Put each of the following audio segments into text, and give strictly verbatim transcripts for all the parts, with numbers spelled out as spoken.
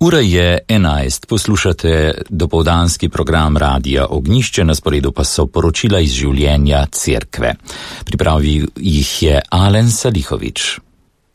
Ura je enajst, poslušate dopoldanski program Radia Ognjišče, na sporedu pa so poročila iz življenja cerkve. Pripravil jih je Alen Salihovič.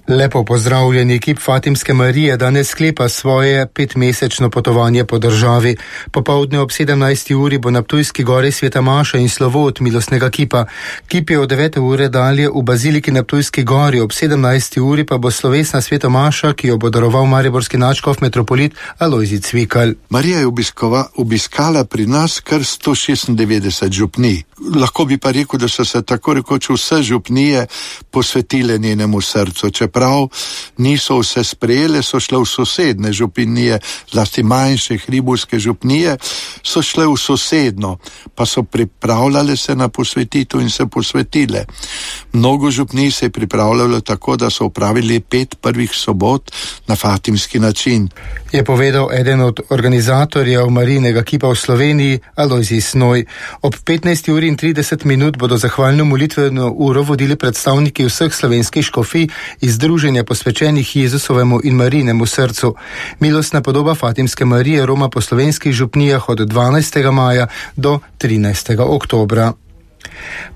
Lepo pozdravljeni, ekip Fatimske Marije danes sklepa svoje petmesečno potovanje po državi. Popoldne ob sedemnajsti uri bo na Ptujski gori sveta maša in slovo od milostnega kipa. Kip je od devete ure dalje v baziliki na Ptujski gori, ob sedemnajsti uri pa bo slovesna sveta maša, ki jo bo daroval mariborski nadškof metropolit Alojzij Cvikl. Marija je obiskova, obiskala pri nas kar sto šestindevetdeset župnij. Lahko bi pa rekel, da so se tako rekoč vse župnije posvetile njenemu srcu. Čeprav niso vse sprejele, so šle v sosedne župnije, zlasti manjše hribovske župnije, so šle v sosedno, pa so pripravljale se na posvetitev in se posvetile. Mnogo župnij se je pripravljalo tako, da so opravili pet prvih sobot na fatimski način. Je povedal eden od organizatorjev Marijinega kipa v Sloveniji, Alojzij Snoj. Ob petnajsti uri in trideset minut bodo zahvalno molitveno uro vodili predstavniki vseh slovenskih škofij iz Združenja posvečenih Jezusovemu in Marijinemu srcu. Milostna podoba Fatimske Marije roma po slovenskih župnijah od dvanajstega maja do trinajstega oktobra.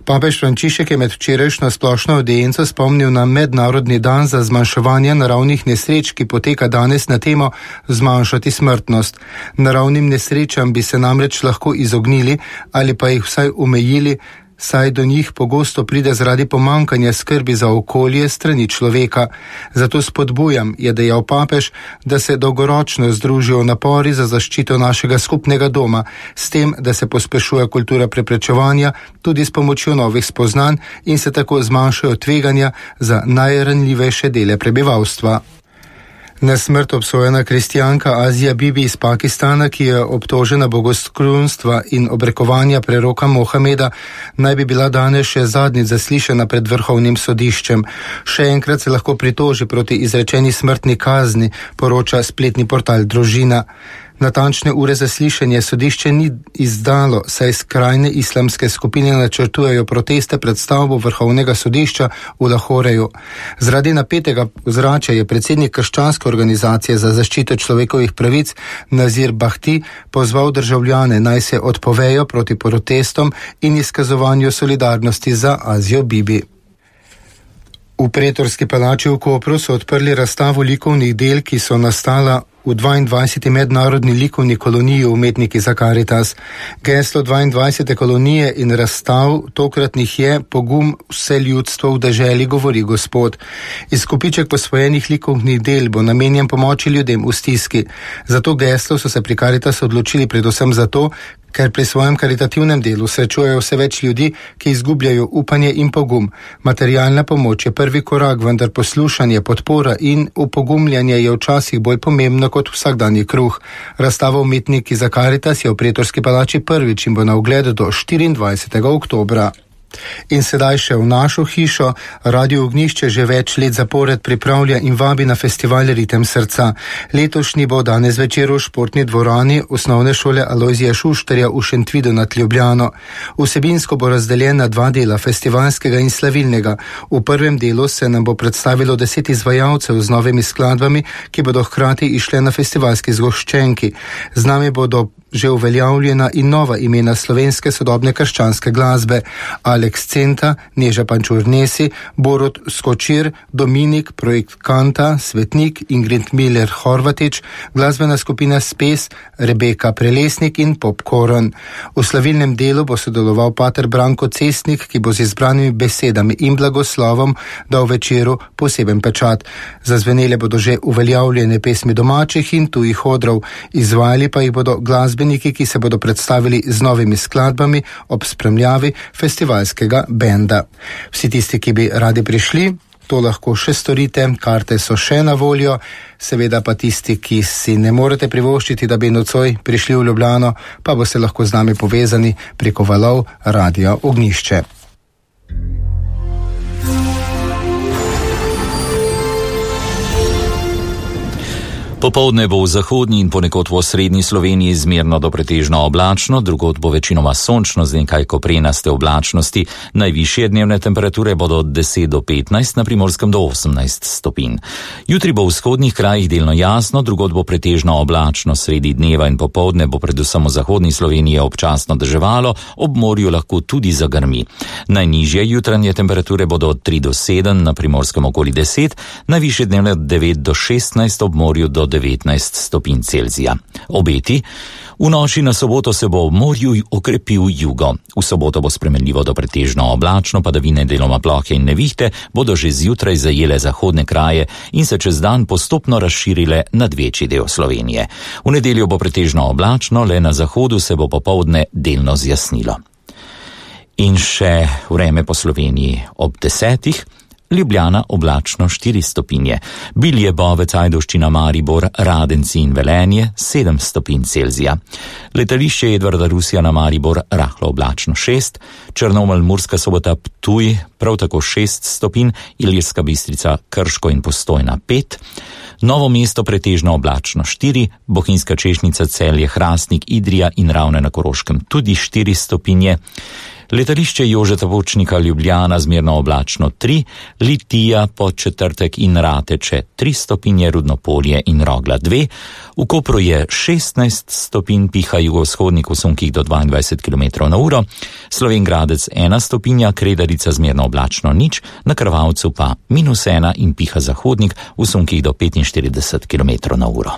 Papež Frančišek je med včerajšnjo splošno avdienco spomnil na mednarodni dan za zmanjševanje naravnih nesreč, ki poteka danes na temo zmanjšati smrtnost. Naravnim nesrečam bi se namreč lahko izognili ali pa jih vsaj omejili, saj do njih pogosto pride zaradi pomanjkanja skrbi za okolje strani človeka. Zato spodbujam, je dejal papež, da se dolgoročno združijo napori za zaščito našega skupnega doma, s tem, da se pospešuje kultura preprečevanja tudi s pomočjo novih spoznanj in se tako zmanjšajo tveganja za najranljivejše dele prebivalstva. Na smrt obsojena kristjanka Azija Bibi iz Pakistana, ki je obtožena bogoskrunstva in obrekovanja preroka Mohameda, naj bi bila danes še zadnjič zaslišana pred vrhovnim sodiščem. Še enkrat se lahko pritoži proti izrečeni smrtni kazni, poroča spletni portal Družina. Natančne ure zaslišanja sodišče ni izdalo, saj skrajne islamske skupine načrtujejo proteste pred stavbo vrhovnega sodišča v Lahoreju. Zaradi napetega ozračja je predsednik krščanske organizacije za zaščito človekovih pravic Nazir Bahti pozval državljane, naj se odpovejo proti protestom in izkazovanju solidarnosti za Azijo Bibi. V Pretorski palači v Kopru so odprli razstavo likovnih del, ki so nastala v dvaindvajseti mednarodni likovni koloniji Umetniki za Karitas. Geslo dvaindvajsete kolonije in razstav tokratnih je Pogum vse ljudstvo v deželi, govori Gospod. Izkupiček posvojenih likovnih del bo namenjen pomoči ljudem v stiski. Zato geslo so se pri Karitas odločili predvsem zato, ker pri svojem karitativnem delu srečujejo vse več ljudi, ki izgubljajo upanje in pogum. Materialna pomoč je prvi korak, vendar poslušanje, podpora in upogumljanje je včasih bolj pomembno kot vsakdanji kruh. Razstava Umetniki za Karitas je v Pretorski palači prvič in bo na ogled do štiriindvajsetega oktobra. In sedaj še v našo hišo. Radio Ognjišče že več let zapored pripravlja in vabi na festival Ritem srca. Letošnji bo danes večer v športni dvorani osnovne šole Alojzija Šuštarja v Šentvidu nad Ljubljano. Vsebinsko bo razdeljen na dva dela, festivalskega in slavilnega. V prvem delu se nam bo predstavilo deset izvajalcev z novimi skladbami, ki bodo hkrati išle na festivalski zgoščenki. Z nami bodo že uveljavljena in nova imena slovenske sodobne krščanske glasbe. Aleks Centa, Neža Pančur-Nesi, Borut Skočir, Dominik, Projekt Kanta, Svetnik, Ingrid Miller Horvatič, glasbena skupina Spes, Rebeka Prelesnik in Popcorn. V slavilnem delu bo sodeloval pater Branko Cestnik, ki bo z izbranimi besedami in blagoslovom dal večeru poseben pečat. Zazvenele bodo že uveljavljene pesmi domačih in tujih odrov, izvajali pa jih bodo glasbe ki se bodo predstavili z novimi skladbami ob spremljavi festivalskega benda. Vsi tisti, ki bi radi prišli, to lahko še storite, karte so še na voljo, seveda pa tisti, ki si ne morete privoščiti, da bi nocoj prišli v Ljubljano, pa boste lahko z nami povezani preko valov Radia Ognjišče. Popoldne bo v zahodni in ponekod v osrednji Sloveniji zmerno do pretežno oblačno, drugod bo večinoma sončno z nekaj koprenaste oblačnosti. Najvišje dnevne temperature bodo od deset do petnajst, na Primorskem do osemnajst stopinj. Jutri bo v vzhodnih krajih delno jasno, drugod bo pretežno oblačno, sredi dneva in popoldne bo predvsem v zahodni Sloveniji občasno deževalo, ob morju lahko tudi zagrmi. Najnižje jutranje temperature bodo od tri do sedem, na Primorskem okoli deset, najvišje dnevne od devet do šestnajst, ob morju do devetnajst stopinj Celzija. Obeti: v noči na soboto se bo ob morju okrepil jugo. V soboto bo spremenljivo do pretežno oblačno, padavine, deloma plohe in nevihte bodo že zjutraj zajele zahodne kraje in se čez dan postopno razširile nad večji del Slovenije. V nedeljo bo pretežno oblačno, le na zahodu se bo popoldne delno zjasnilo. In še vreme po Sloveniji ob desetih. Ljubljana oblačno štiri stopinje, Bilje, Bovec, Ajdovščina, Maribor, Radenci in Velenje sedem stopinj Celzija. Letališče Edvarda Rusjana Maribor rahlo oblačno šest, Črnomelj, Murska Sobota, Ptuj prav tako šest stopinj, Ilirska Bistrica, Krško in Postojna pet, Novo mesto pretežno oblačno štiri, Bohinjska Češnica, Celje, Hrastnik, Idrija in Ravne na Koroškem tudi štiri stopinje. Letališče Jožeta Pučnika Ljubljana zmerno oblačno tri, Litija, Podčetrtek in Rateče tri stopinje, Rudnopolje in Rogla dve, v Kopru je šestnajst stopinj, piha jugovzhodnik v sunkih do dvaindvajset kilometrov na uro, Slovenj Gradec ena stopinja, Kredarica zmerno oblačno nič, na Krvavcu pa minus ena in piha zahodnik v sunkih do petinštirideset kilometrov na uro.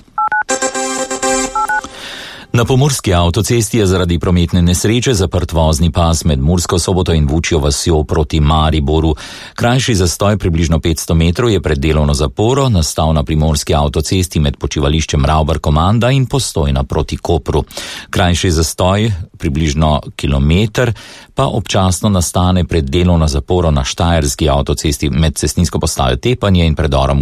Na pomurski avtocesti je zaradi prometne nesreče zaprt vozni pas med Mursko Soboto in Vučjo vasjo proti Mariboru. Krajši zastoj približno petsto metrov je pred delovno zaporo nastal na primorski avtocesti med počivališčem Ravbar Komanda in Postojna proti Kopru. Krajši zastoj, približno kilometer, pa občasno nastane pred delovno zaporo na štajerski avtocesti med cestninsko postajo Tepanje in predorom